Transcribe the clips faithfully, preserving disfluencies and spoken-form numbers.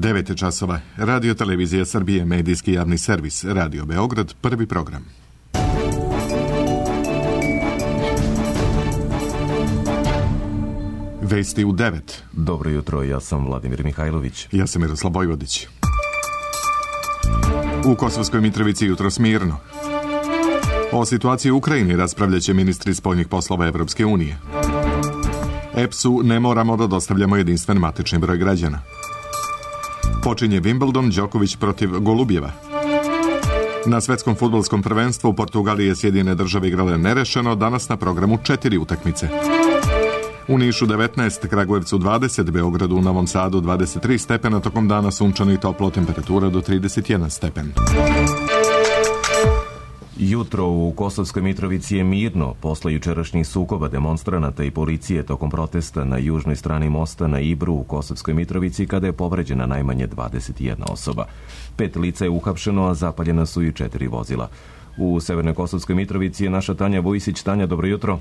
devet časova. Radio Televizija Srbije, medijski javni servis, Radio Beograd, prvi program. Vesti u devet. Dobro jutro, ja sam Vladimir Mihajlović. Ja sam Miroslav Bojvodić. U Kosovskoj Mitrovici jutro smirno. O situaciji u Ukrajini raspravljaće ministri spoljnih poslova Evropske unije. E P S-u ne moramo da dostavljamo jedinstven matični broj građana. Počinje Wimbledon, Đoković protiv Golubjeva. Na svetskom fudbalskom prvenstvu Portugalije i Sjedinjene države igrale nerešeno, danas na programu četiri utakmice. U Nišu devetnaest, Kragujevcu dvadeset, Beogradu, u Novom Sadu dvadeset tri stepena, tokom dana sunčano i toplo, temperatura do trideset jedan stepen. Jutro u Kosovskoj Mitrovici je mirno posle jučerašnjih sukoba demonstranata i policije tokom protesta na južnoj strani mosta na Ibru u Kosovskoj Mitrovici, kada je povređena najmanje dvadeset jedna osoba. Pet lica je uhapšeno, a zapaljena su i četiri vozila. U Severnoj Kosovskoj Mitrovici je naša Tanja Vujisić. Tanja, dobro jutro.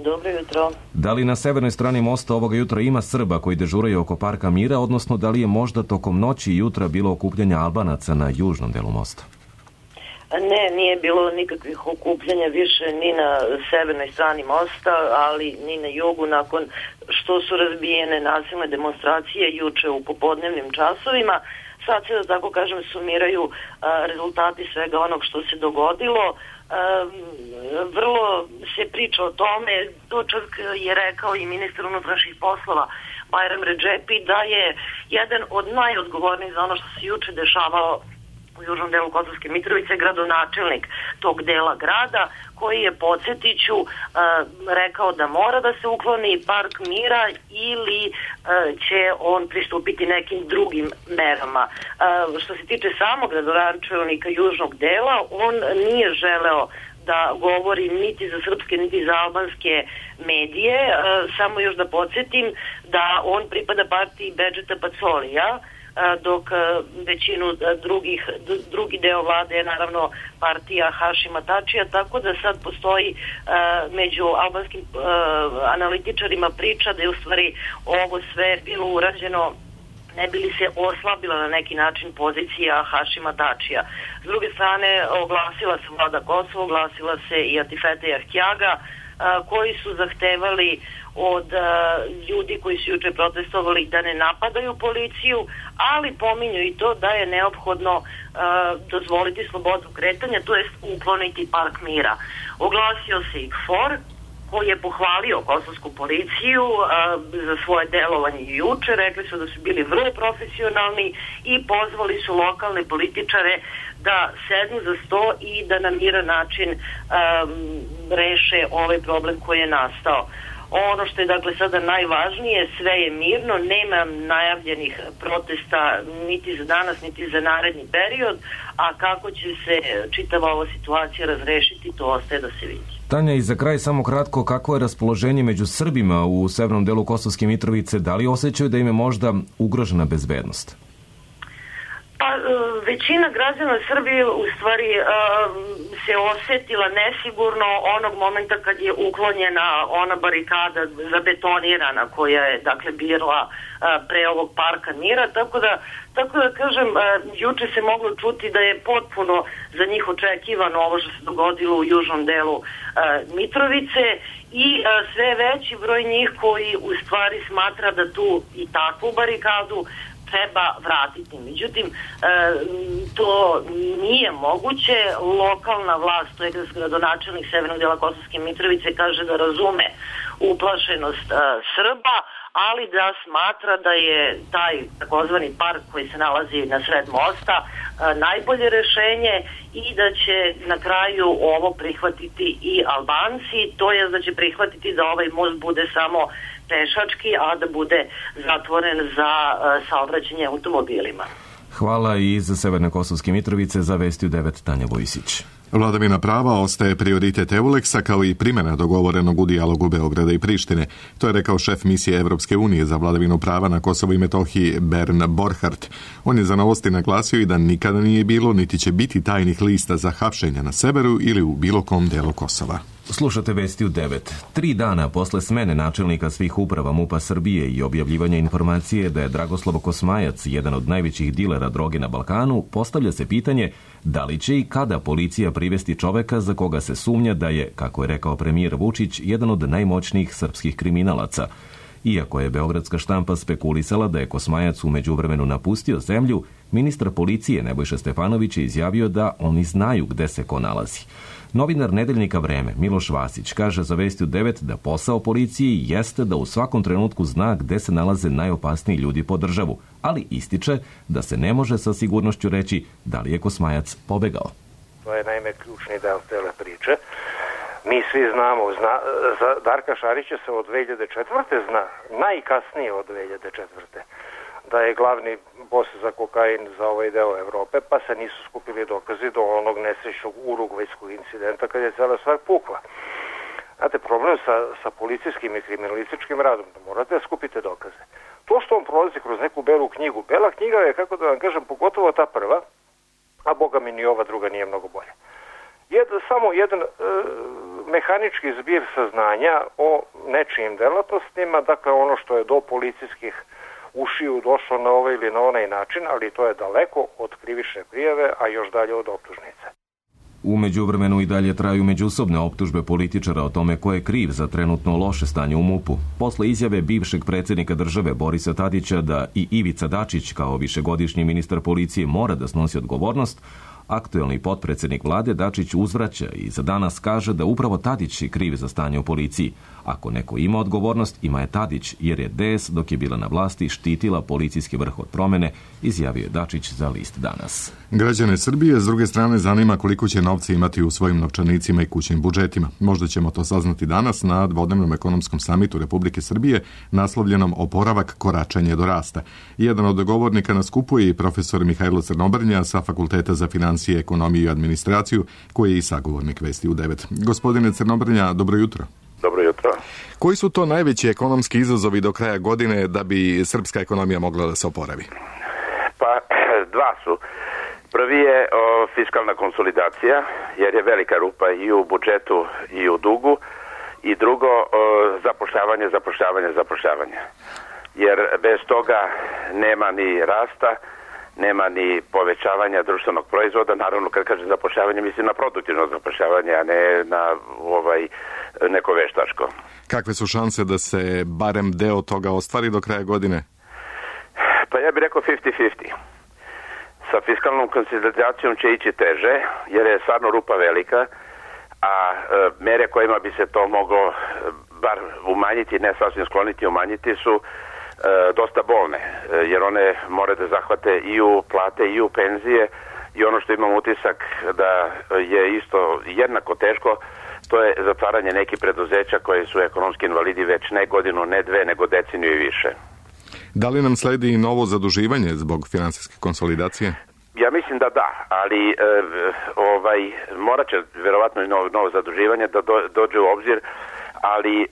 Dobro jutro. Da li na severnoj strani mosta ovoga jutra ima Srba koji dežuraju oko Parka mira, odnosno da li je možda tokom noći i jutra bilo okupljanja Albanaca na južnom delu mosta? Ne, nije bilo nikakvih okupljanja više ni na severnoj strani mosta, ali ni na jugu, nakon što su razbijene nasilne demonstracije juče u popodnevnim časovima. Sad se, da tako kažem, sumiraju a, rezultati svega onog što se dogodilo. A, vrlo se priča o tome, to čak je rekao i ministar unutrašnjih poslova Bajram Redžepi, da je jedan od najodgovornijih za ono što se juče dešavalo u južnom delu Kosovske Mitrovice gradonačelnik tog dela grada, koji je, podsjetiću, uh, rekao da mora da se ukloni Park mira ili uh, će on pristupiti nekim drugim merama. Uh, što se tiče samog gradonačelnika južnog dela, on nije želeo da govori niti za srpske, niti za albanske medije. Uh, samo još da podsjetim da on pripada partiji Bedžeta Pacolija, dok većinu drugih, drugi deo vlade je naravno partija Hašima Tačija, tako da sad postoji uh, među albanskim uh, analitičarima priča da je u stvari ovo sve bilo urađeno ne bi li se oslabila na neki način pozicija Hašima Tačija. S druge strane, oglasila se vlada Kosova, oglasila se i Atifete Jahjaga, uh, koji su zahtevali od uh, ljudi koji su juče protestovali da ne napadaju policiju, ali pominju i to da je neophodno uh, dozvoliti slobodu kretanja, to jest ukloniti Park mira. Oglasio se i K F O R, koji je pohvalio kosovsku policiju uh, za svoje delovanje juče. Rekli su da su bili vrlo profesionalni i pozvali su lokalne političare da sednu za sto i da na miran način um, reše ovaj problem koji je nastao. Ono što je dakle sada najvažnije, sve je mirno, nema najavljenih protesta niti za danas, niti za naredni period, a kako će se čitava ova situacija razrešiti, to ostaje da se vidi. Tanja, i za kraj samo kratko, kako je raspoloženje među Srbima u severnom delu Kosovske Mitrovice? Da li osjećaju da im je možda ugrožena bezbednost? Pa, većina građana Srbije u stvari se osjetila nesigurno onog momenta kad je uklonjena ona barikada zabetonirana koja je dakle bila pre ovog Parka mira, tako da, tako da kažem, juče se moglo čuti da je potpuno za njih očekivano ovo što se dogodilo u južnom delu Mitrovice i sve veći broj njih koji u stvari smatra da tu i takvu barikadu treba vratiti. Međutim, to nije moguće. Lokalna vlast, to je gradonačelnik severnog dela Kosovske Mitrovice, kaže da razume uplašenost Srba, ali da smatra da je taj takozvani park koji se nalazi na sred mosta najbolje rešenje i da će na kraju ovo prihvatiti i Albanci, to je da će prihvatiti da ovaj most bude samo pešački, a da bude zatvoren za saobraćanje automobilima. Hvala i za Severne Kosovske Mitrovice. Za Vesti u devet, Tanja Vujisić. Vladavina prava ostaje prioritet Euleksa kao i primjena dogovorenog u dijalogu Beograda i Prištine. To je rekao šef misije Evropske unije za vladavinu prava na Kosovu i Metohiji Bern Borchardt. On je za Novosti naglasio i da nikada nije bilo niti će biti tajnih lista za hapšenja na severu ili u bilo kom delu Kosova. Slušate Vesti u devet. Tri dana posle smene načelnika svih uprava MUP-a Srbije i objavljivanja informacije da je Dragoslav Kosmajac jedan od najvećih dilera droge na Balkanu, postavlja se pitanje da li će i kada policija privesti čoveka za koga se sumnja da je, kako je rekao premijer Vučić, jedan od najmoćnijih srpskih kriminalaca. Iako je beogradska štampa spekulisala da je Kosmajac u međuvremenu napustio zemlju, ministar policije Nebojša Stefanović je izjavio da oni znaju gde se ko nalazi. Novinar nedeljnika Vreme Miloš Vasić kaže za Vesti u devet da posao policiji jeste da u svakom trenutku zna gde se nalaze najopasniji ljudi po državu, ali ističe da se ne može sa sigurnošću reći da li je Kosmajac pobegao. To je naime ključni deo cele priče. Mi svi znamo, zna, za Darka Šarića se od dve hiljade četvrte zna, najkasnije od dve hiljade četvrte da je glavni bos za kokain za ovaj deo Evrope, pa se nisu skupili dokazi do onog nesrećnog urugvajskog incidenta kad je cela stvar pukla. Znate, problem sa, sa policijskim i kriminalističkim radom, da morate da skupite dokaze. To što on prolazi kroz neku belu knjigu, bela knjiga je, kako da vam kažem, pogotovo ta prva, a boga mi ni ova druga nije mnogo bolja. Jed, samo jedan e, mehanički zbir saznanja o nečijim delatnostima, dakle ono što je do policijskih ušiju došlo na ovaj ili na onaj način, ali to je daleko od krivične prijave, a još dalje od optužnice. U međuvremenu i dalje traju međusobne optužbe političara o tome ko je kriv za trenutno loše stanje u MUP-u. Posle izjave bivšeg predsjednika države Borisa Tadića da i Ivica Dačić kao višegodišnji ministar policije mora da snosi odgovornost, aktuelni potpredsjednik vlade Dačić uzvraća i za danas kaže da upravo Tadić je kriv za stanje u policiji. Ako neko ima odgovornost, ima je Tadić, jer je D S dok je bila na vlasti štitila policijski vrh od promene, izjavio je Dačić za list Danas. Građane Srbije s druge strane zanima koliko će novca imati u svojim novčanicima i kućnim budžetima. Možda ćemo to saznati danas na dvodnevnom ekonomskom samitu Republike Srbije naslovljenom Oporavak, koračanje do rasta. Jedan od govornika na skupu je i profesor Mihajlo Crnobrnja sa Fakulteta za financije, ekonomiju i administraciju, koji je i sagovornik Vesti u devet. Gospodine Crnobrnja, dobro jutro. Dobro jutro. Koji su to najveći ekonomski izazovi do kraja godine da bi srpska ekonomija mogla da se oporavi? Pa, dva su. Prvi je o, fiskalna konsolidacija, jer je velika rupa i u budžetu i u dugu. I drugo, o, zapošljavanje, zapošljavanje, zapošljavanje. Jer bez toga nema ni rasta, nema ni povećavanja društvenog proizvoda. Naravno, kad kažem zapošljavanje, mislim na produktivno zapošljavanje, a ne na ovaj neko veštačko. Kakve su šanse da se barem deo toga ostvari do kraja godine? Pa ja bih rekao pedeset pedeset. Sa fiskalnom konsolidacijom će ići teže, jer je stvarno rupa velika, a e, mere kojima bi se to moglo e, bar umanjiti, ne sasvim skloniti, umanjiti su e, dosta bolne, e, jer one more da zahvate i u plate i u penzije, i ono što imam utisak da je isto jednako teško, to je zatvaranje nekih preduzeća koje su ekonomski invalidi već ne godinu, ne dve, nego deceniju i više. Da li nam sledi i novo zaduživanje zbog finansijske konsolidacije? Ja mislim da da, ali e, ovaj, morat će verovatno i novo, novo zaduživanje da do, dođe u obzir, ali e,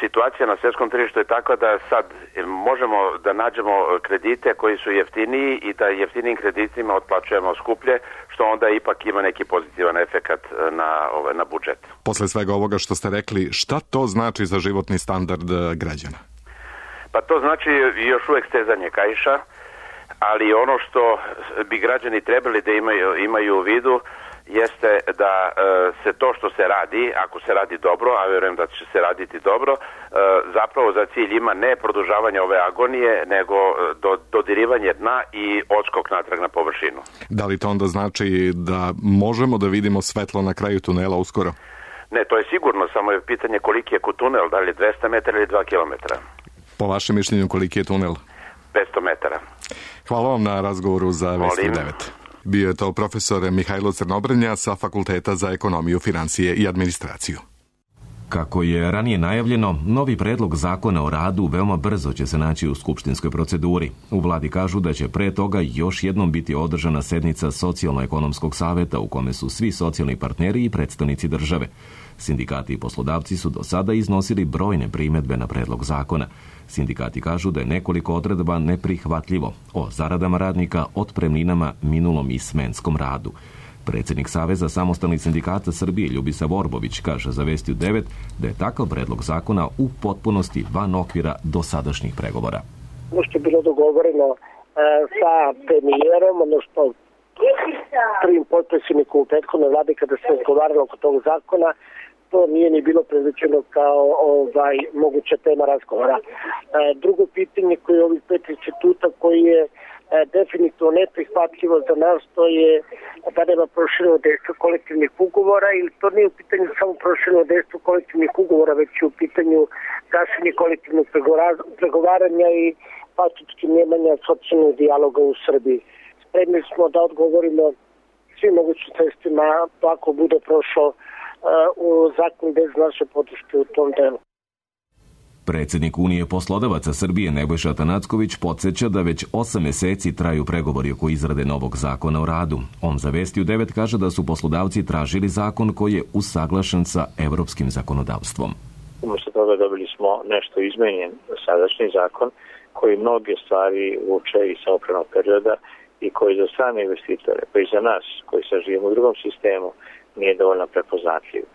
situacija na svjetskom tržištu je takva da sad možemo da nađemo kredite koji su jeftiniji i da jeftinijim kreditima otplaćujemo skuplje, što onda ipak ima neki pozitivan efekat na, ovaj, na budžet. Posle svega ovoga što ste rekli, šta to znači za životni standard građana? Pa to znači još uvek stezanje kaiša, ali ono što bi građani trebali da imaju, imaju u vidu jeste da e, se to što se radi, ako se radi dobro, a vjerujem da će se raditi dobro, e, zapravo za cilj ima ne produžavanje ove agonije, nego do, dodirivanje dna i odskok natrag na površinu. Da li to onda znači da možemo da vidimo svetlo na kraju tunela uskoro? Ne, to je sigurno, samo je pitanje koliki je tunel, da li je dvesta metara ili dva kilometra. Po vašem mišljenju, koliki je tunel? petsto metara. Hvala vam na razgovoru za Vesti devet. Bio je to profesor Mihajlo Crnobrnja sa Fakulteta za ekonomiju, financije i administraciju. Kako je ranije najavljeno, novi predlog zakona o radu veoma brzo će se naći u skupštinskoj proceduri. U vladi kažu da će pre toga još jednom biti održana sednica Socijalno-ekonomskog saveta u kome su svi socijalni partneri i predstavnici države. Sindikati i poslodavci su do sada iznosili brojne primedbe na predlog zakona. Sindikati kažu da je nekoliko odredba neprihvatljivo o zaradama radnika, otpremninama, minulom i smenskom radu. Predsjednik Saveza samostalnih sindikata Srbije Ljubisa Vorbović kaže za Vestiju devet da je takav predlog zakona u potpunosti van okvira dosadašnjih pregovora. Ono što je bilo dogovoreno e, sa premijerom, odnosno prvim potpredsjednikom u prethodnoj vladi kada se razgovaralo oko tog zakona, to nije ni bilo predviđeno kao ovaj, moguća tema razgovora. E, drugo pitanje koje je ovih pet instituta koji je e, definitivno neprihvatljivo za nas, to je da nema prošireno dejstvo kolektivnih ugovora, ili to nije u pitanju samo prošireno dejstvo kolektivnih ugovora, već je u pitanju gašenje kolektivnog pregovaranja i faktički nemanja socijalnog dijaloga u Srbiji. Spremni smo da odgovorimo svim mogućim sredstvima ako bude prošao u zakon bez naše podrške u tom delu. Predsjednik Unije poslodavaca Srbije Nebojša Atanacković podsjeća da već osam mjeseci traju pregovori oko izrade novog zakona o radu. On za Vestiju devet kaže da su poslodavci tražili zakon koji je usaglašen sa evropskim zakonodavstvom. Umjesto toga dobili smo nešto izmenjen sadašnji zakon koji mnoge stvari vuče iz samopravnog perioda i koji za strane investitore, pa i za nas koji sad živimo u drugom sistemu, nije dovoljno prepoznatljiv. E,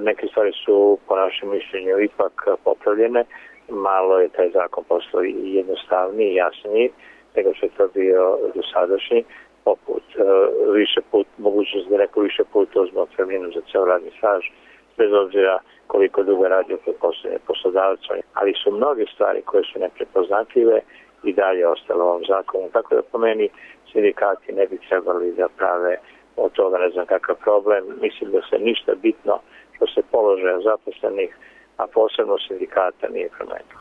neke stvari su po našem mišljenju ipak popravljene, malo je taj zakon postao jednostavniji i jasniji nego što je to bio dosadašnji, poput e, više put, mogućnost da neko više puta uzme otpremninu za ceo radni staž, bez obzira koliko dugo radio kod poslednje poslodavca, ali su mnoge stvari koje su neprepoznatljive i dalje ostale u ovom zakonu. Tako da po meni sindikati ne bi trebali da prave od toga ne znam kakav problem. Mislim da se ništa bitno što se položaja zaposlenih, a posebno sindikata, nije promenilo.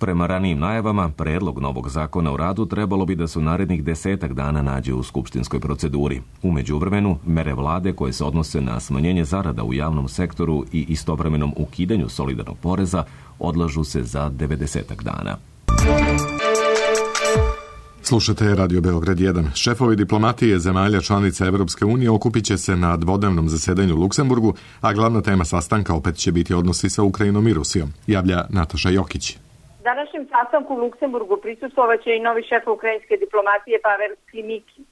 Prema ranijim najavama, predlog novog zakona o radu trebalo bi da su narednih desetak dana nađe u skupštinskoj proceduri. U međuvremenu, mere vlade koje se odnose na smanjenje zarada u javnom sektoru i istovremenom ukidanju solidarnog poreza odlažu se za devedesetak dana. Slušate Radio Beograd jedan. Šefovi diplomatije zemalja članica Evropske unije okupit će se na dvodnevnom zasedanju u Luksemburgu, a glavna tema sastanka opet će biti odnosi sa Ukrajinom i Rusijom, javlja Nataša Jokić. Današnjem sastanku u Luksemburgu prisustvovaće i novi šef ukrajinske diplomatije Pavel Klimiki.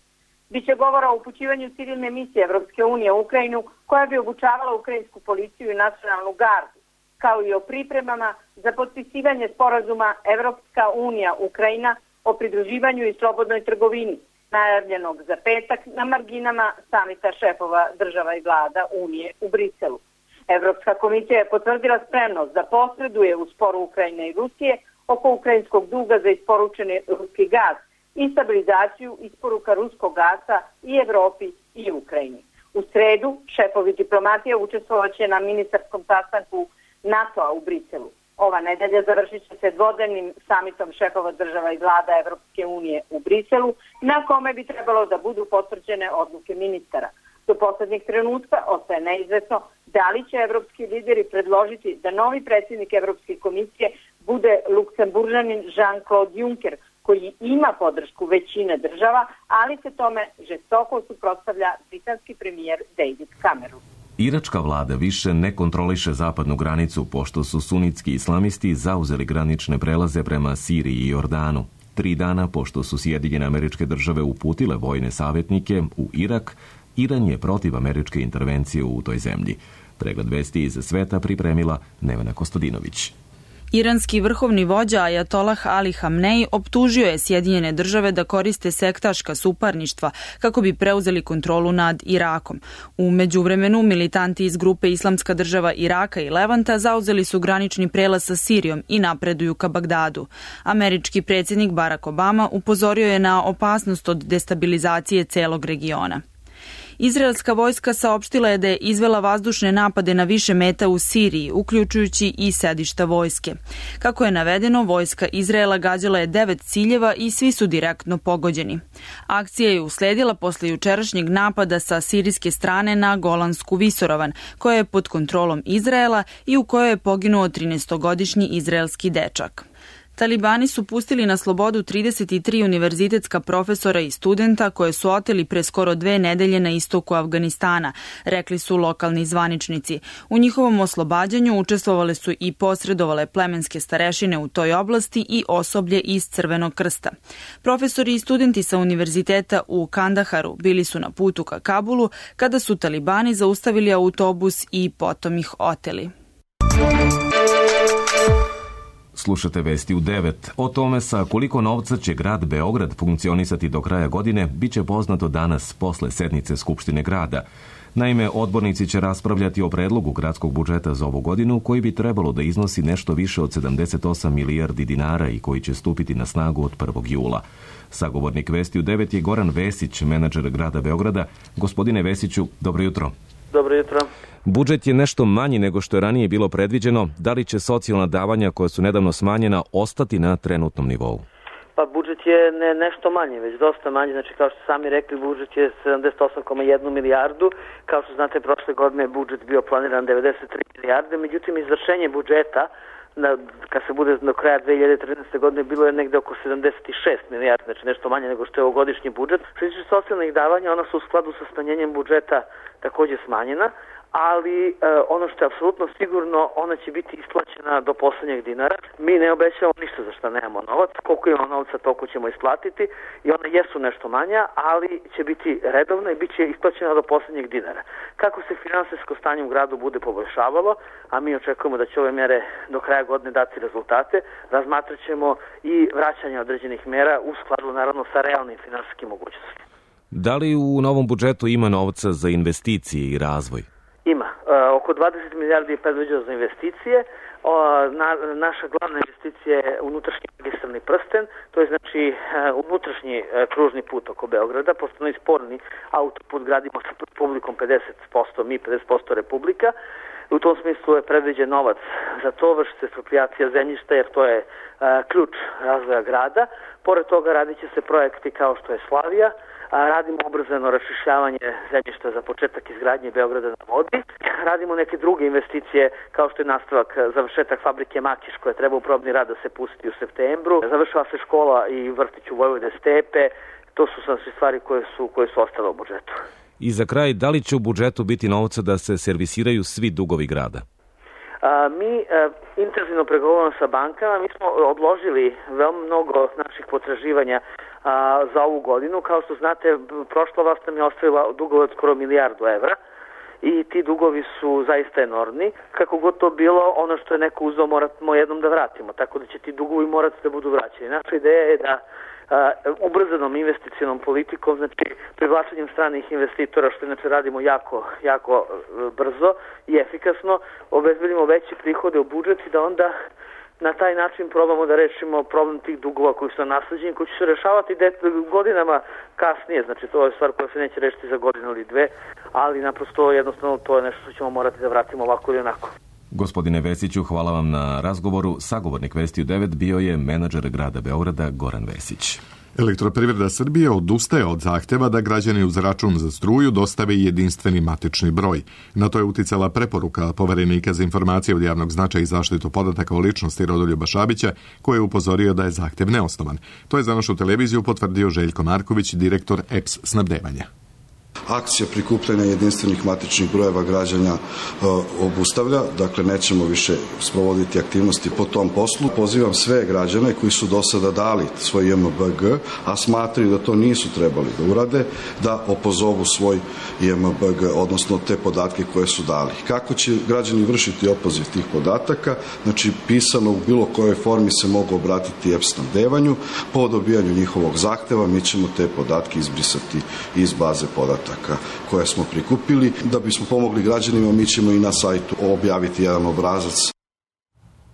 Biće govora o upućivanju civilne misije Evropske unije u Ukrajinu koja bi obučavala ukrajinsku policiju i nacionalnu gardu, kao i o pripremama za potpisivanje sporazuma Evropska unija Ukrajina o pridruživanju i slobodnoj trgovini, najavljenog za petak na marginama samita šefova država i vlada Unije u Briselu. Evropska komisija je potvrdila spremnost da posreduje u sporu Ukrajine i Rusije oko ukrajinskog duga za isporučeni ruski gaz i stabilizaciju isporuka ruskog gasa i Evropi i Ukrajini. U sredu šefovi diplomatije učestvovaće na ministarskom sastanku NATO-a u Briselu. Ova nedelja završit će se dvodnevnim samitom šefova država i vlada Evropske unije u Briselu, na kome bi trebalo da budu potvrđene odluke ministara. Do poslednjeg trenutka ostaje neizvesno da li će evropski lideri predložiti da novi predsjednik Evropske komisije bude Luksemburžanin Jean-Claude Juncker, koji ima podršku većine država, ali se tome žestoko suprotstavlja britanski premijer David Cameron. Iračka vlada više ne kontroliše zapadnu granicu, pošto su sunitski islamisti zauzeli granične prelaze prema Siriji i Jordanu. Tri dana pošto su Sjedinjene Američke Države uputile vojne savjetnike u Irak, Iran je protiv američke intervencije u toj zemlji. Pregled vesti iz sveta pripremila Nevena Kostadinović. Iranski vrhovni vođa Ajatolah Ali Hamnej optužio je Sjedinjene države da koriste sektaška suparništva kako bi preuzeli kontrolu nad Irakom. U međuvremenu militanti iz grupe Islamska država Iraka i Levanta zauzeli su granični prelaz sa Sirijom i napreduju ka Bagdadu. Američki predsjednik Barack Obama upozorio je na opasnost od destabilizacije celog regiona. Izraelska vojska saopštila je da je izvela vazdušne napade na više meta u Siriji, uključujući i sedišta vojske. Kako je navedeno, vojska Izraela gađala je devet ciljeva i svi su direktno pogođeni. Akcija je usledila posle jučerašnjeg napada sa sirijske strane na Golansku visoravan, koja je pod kontrolom Izraela i u kojoj je poginuo trinaestogodišnji izraelski dečak. Talibani su pustili na slobodu trideset tri univerzitetska profesora i studenta koje su oteli pre skoro dve nedelje na istoku Afganistana, rekli su lokalni zvaničnici. U njihovom oslobađanju učestvovale su i posredovale plemenske starešine u toj oblasti i osoblje iz Crvenog krsta. Profesori i studenti sa univerziteta u Kandaharu bili su na putu ka Kabulu kada su Talibani zaustavili autobus i potom ih oteli. Slušate vesti u devet. O tome sa koliko novca će grad Beograd funkcionisati do kraja godine biće poznato danas posle sednice Skupštine grada. Naime, odbornici će raspravljati o predlogu gradskog budžeta za ovu godinu koji bi trebalo da iznosi nešto više od sedamdeset osam milijardi dinara i koji će stupiti na snagu od prvog jula. Sagovornik Vesti u devet je Goran Vesić, menadžer grada Beograda. Gospodine Vesiću, dobro jutro. Dobro jutro. Budžet je nešto manji nego što je ranije bilo predviđeno. Da li će socijalna davanja koja su nedavno smanjena ostati na trenutnom nivou? Pa budžet je ne nešto manje, već dosta manje. Znači, kao što sami rekli, budžet je sedamdeset osam zarez jedan milijardu. Kao što znate, prošle godine je budžet bio planiran devedeset tri milijarde. Međutim, izvršenje budžeta Na, kad se bude do kraja dve hiljade trinaeste. godine bilo je negde oko sedamdeset šest milijardi, znači nešto manje nego što je ovogodišnji budžet. Što se tiče socijalnih davanja, ona su u skladu sa smanjenjem budžeta takođe smanjena, ali e, ono što je apsolutno sigurno, ona će biti isplaćena do poslednjeg dinara. Mi ne obećavamo ništa za što nemamo novac, koliko imamo novca toliko ćemo isplatiti i ona jesu nešto manja, ali će biti redovna i bit će isplaćena do poslednjeg dinara. Kako se finansijsko stanje u gradu bude poboljšavalo, a mi očekujemo da će ove mere do kraja godine dati rezultate, razmatrat ćemo i vraćanje određenih mera u skladu naravno sa realnim finansijskim mogućnostima. Da li u novom budžetu ima novca za investicije i razvoj? Ima. E, oko dvadeset milijardi je predviđeno za investicije. O, na, naša glavna investicija je unutrašnji magistralni prsten, to je znači e, unutrašnji e, kružni put oko Beograda, pošto je sporni autoput gradimo sa Republikom pedeset posto, mi pedeset posto Republika. U tom smislu je predviđen novac za to, vrši se eksproprijacija zemljišta jer to je e, ključ razvoja grada. Pored toga radit će se projekti kao što je Slavija, radimo ubrzano raščišćavanje zemljišta za početak izgradnje Beograda na vodi, radimo neke druge investicije kao što je nastavak, završetak fabrike Makiš koja treba u probni rad da se pusti u septembru, završava se škola i vrtić u Vojvode Stepe, to su sve stvari koje su, koje su ostale u budžetu. I za kraj, da li će u budžetu biti novca da se servisiraju svi dugovi grada? A, mi a, intenzivno pregovaramo sa bankama, mi smo odložili veoma mnogo naših potraživanja a, za ovu godinu. Kao što znate, prošla vlast nam je ostavila dugove od skoro milijardu evra i ti dugovi su zaista enormni. Kako god to bilo, ono što je neko uzeo moramo jednom da vratimo, tako da će ti dugovi morati da budu vraćeni. Naša ideja je da Uh, ubrzanom investicionom politikom, znači privlačenjem stranih investitora, što inače radimo jako, jako uh, brzo i efikasno, obezbedimo veće prihode u budžet i da onda na taj način probamo da rešimo problem tih dugova koji su nasleđeni, koji će se rešavati godinama kasnije, znači to je stvar koja se neće rešiti za godinu ili dve, ali naprosto jednostavno to je nešto što ćemo morati da vratimo ovako ili onako. Gospodine Vesiću, hvala vam na razgovoru. Sagovornik Vesti u devet bio je menadžer grada Beograda Goran Vesić. Elektroprivreda Srbije odustaje od zahteva da građani uz račun za struju dostave jedinstveni matični broj. Na to je uticala preporuka Poverenika za informacije od javnog značaja i zaštitu podataka o ličnosti Rodoljuba Šabića, koji je upozorio da je zahtev neosnovan. To je za našu televiziju potvrdio Željko Marković, direktor E P S snabdevanja. Akcija prikupljanja jedinstvenih matičnih brojeva građana e, obustavlja, dakle nećemo više sprovoditi aktivnosti po tom poslu. Pozivam sve građane koji su do sada dali svoj J M B G, a smatraju da to nisu trebali da urade, da opozovu svoj J M B G, odnosno te podatke koje su dali. Kako će građani vršiti opoziv tih podataka? Znači, pisano u bilo kojoj formi se mogu obratiti E P S snabdevanju. Po dobijanju njihovog zahteva mi ćemo te podatke izbrisati iz baze podataka koje smo prikupili. Da bismo pomogli građanima, mi ćemo i na sajtu objaviti jedan obrazac.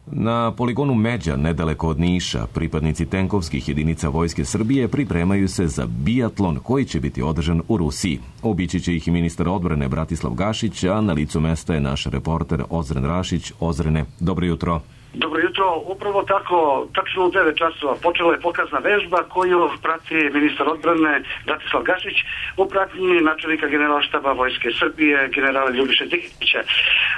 Na poligonu Međa, nedaleko od Niša, pripadnici tenkovskih jedinica Vojske Srbije pripremaju se za biatlon koji će biti održan u Rusiji. Obići će ih i ministar odbrane Bratislav Gašić, a na licu mesta je naš reporter Ozren Rašić. Ozrene, dobro jutro. Dobro jutro, upravo tako, tačno u devet časova počela je pokazna vežba koju prati ministar odbrane Bratislav Gašić u pratnji načelnika generalštaba Vojske Srbije, generala Ljubiše Dikića.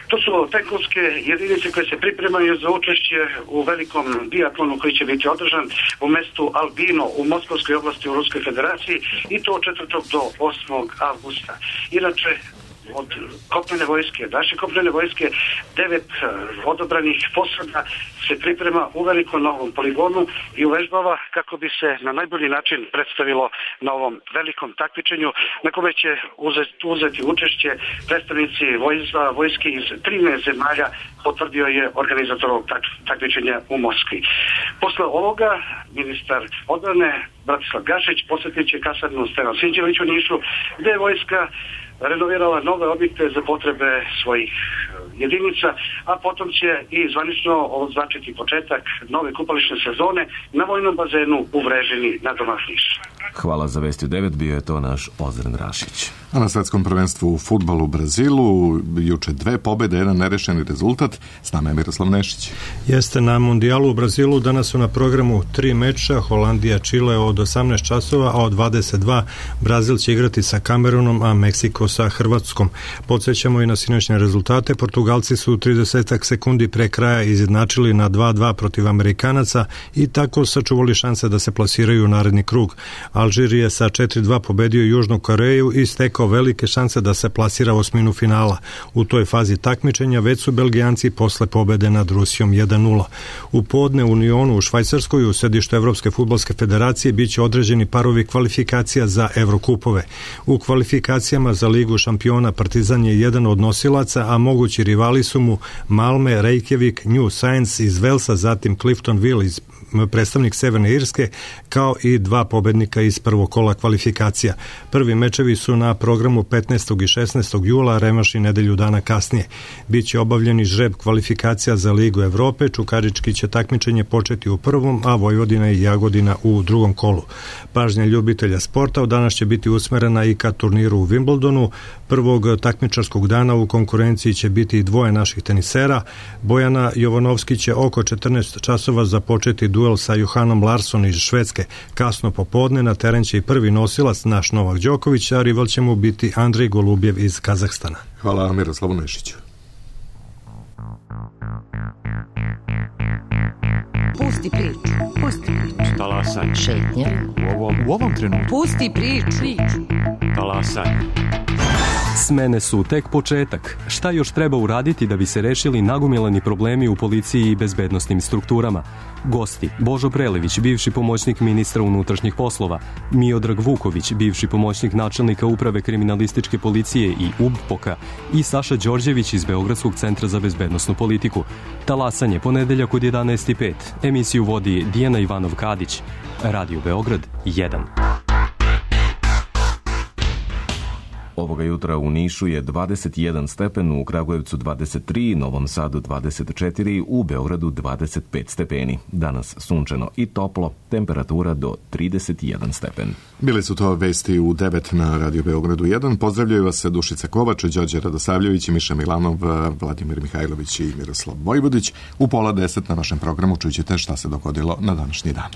To su tenkovske jedinice koje se pripremaju za učešće u velikom biatlonu koji će biti održan u mestu Albino u Moskovskoj oblasti u Ruskoj federaciji i to od četvrtog do osmog avgusta. Inače, od kopnene vojske, naše kopnene vojske, devet odobranih posada se priprema u velikom novom poligonu i uvežbava kako bi se na najbolji način predstavilo na ovom velikom takmičenju na kome će uzeti, uzeti učešće predstavnici vojska, vojske iz trinaest zemalja, potvrdio je organizator ovog takmičenja u Moskvi. Posle ovoga ministar odbrane Bratislav Gašić posjetit će kasarnu Stevan Sinđelić u Nišu, gde je vojska renovirala nove objekte za potrebe svojih jedinica, a potom će i zvanično označiti početak nove kupališne sezone na vojnom bazenu u Vrežini na domak Niša. Hvala za vesti u devet, bio je to naš Ozren Rašić. A na svetskom prvenstvu u fudbalu u Brazilu juče dve pobjede, jedan nerešeni rezultat. S nama je Miroslav Nešić. Jeste, na mundijalu u Brazilu danas su na programu tri meča, Holandija Čile od osamnaest časova, a od dvadeset dva Brazil će igrati sa Kamerunom, a Meksiko sa Hrvatskom. Podsjećamo i na sinoćne rezultate. Portugalci su trideset sekundi pre kraja izjednačili na dva dva protiv Amerikanaca i tako sačuvali šanse da se plasiraju u naredni krug. Alžir je sa četiri dva pobedio Južnu Koreju i stekao velike šanse da se plasira u osminu finala. U toj fazi takmičenja već su Belgijanci posle pobede nad Rusijom jedan nula. U podne u Unionu u Švajcarskoj u sedištu Evropske fudbalske federacije biće određeni parovi kvalifikacija za Evrokupove. U kvalifikacijama za Ligu šampiona Partizan je jedan od nosilaca, a mogući rivali su mu Malme, Reykjavik, New Science iz Velsa, zatim Cliftonville iz predstavnik Severne Irske, kao i dva pobednika iz prvog kola kvalifikacija. Prvi mečevi su na programu petnaestog i šesnaestog jula, revanš i nedelju dana kasnije. Biće obavljeni žreb kvalifikacija za Ligu Evrope, Čukarički će takmičenje početi u prvom, a Vojvodina i Jagodina u drugom kolu. Pažnja ljubitelja sporta od danas će biti usmerena i ka turniru u Wimbledonu. Prvog takmičarskog dana u konkurenciji će biti dvoje naših tenisera. Bojana Jovanovski će oko četrnaest časova započeti duel sa Johanom Larsson iz Švedske. Kasno popodne na teren će i prvi nosilac, naš Novak Đoković, a rival će mu biti Andrej Golubjev iz Kazahstana. Hvala Miroslavu Nešiću. Pusti priču. Pusti priču. Talasaj. Šetnja. U ovom, u ovom trenutku. Pusti priču. Talasaj. Smene su tek početak. Šta još treba uraditi da bi se rešili nagomilani problemi u policiji i bezbednosnim strukturama? Gosti: Božo Prelević, bivši pomoćnik ministra unutrašnjih poslova, Miodrag Vuković, bivši pomoćnik načelnika uprave kriminalističke policije i U B P O K-a, i Saša Đorđević iz Beogradskog centra za bezbednosnu politiku. Talasanje, ponedeljak od jedanaest i pet. Emisiju vodi Dijana Ivanov-Kadić. Radio Beograd jedan. Ovoga jutra u Nišu je dvadeset jedan stepen, u Kragujevcu dvadeset tri, Novom Sadu dvadeset četiri, u Beogradu dvadeset pet stepeni. Danas sunčano i toplo, temperatura do trideset jedan stepen. Bili su to vesti u devet na Radio Beogradu jedan. Pozdravljaju vas se Dušica Kovač, Đorđe Radosavljević, Miša Milanov, Vladimir Mihajlović i Miroslav Vojvodić. U pola deset na našem programu čućete šta se dogodilo na današnji dan.